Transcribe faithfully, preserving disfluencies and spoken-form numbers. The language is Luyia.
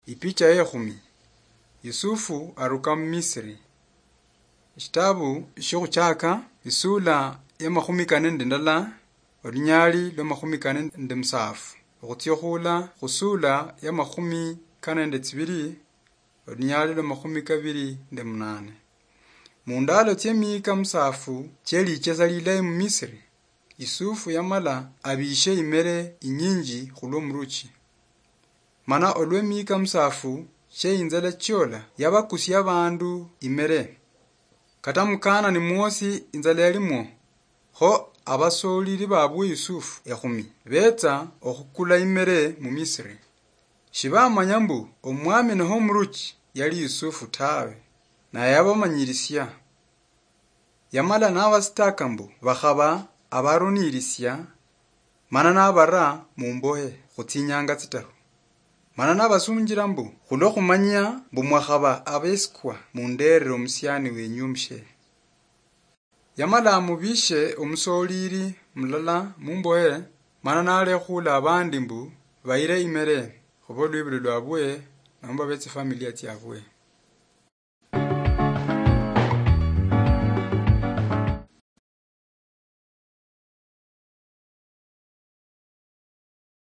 Ipicha yekhumi. Yusufu aruka mu Misri. Eshitabu shokhuchaka, isula ya makhumi kane nende ndala, olunyali lwa makhumi kane nende musafu, okhutsia okhula khusula ya makhumi kane nende tsibili, olunyali lwa makhumi kabili nende munane. Mundalo tsie miika musafu chie lichesa lilayi mu Misri, Yusufu yamala abishe imere inyinji khulwo muruchi. Mana olwe miika musafu che inzala chiola, yabakusia abandu imere. Kata mukanani mwosi inzala yalimwo. Kho abasolili babwe Yusufu ekhumi betsa okhukula imere mu Misri. Shibamanya mbu omwami noho omuruchi yali Yusufu tawe, naye yabamanyirisia. Yamala nabasitaka mbu bakhaba abarunirisia, mana nabara mumbohe khutsinyanga tsitaru. Mana nabasunjira mbu, khulwo khumanya mbu mwakhaba abesikwa, munderere omusiani wenyu omushe. Yamala amubishe omusolili mulala mumbohe, mana nalekhula abandi mbu bayire imere, khuba olwibuli lwabwe nomba betsifamilia tsiabwe.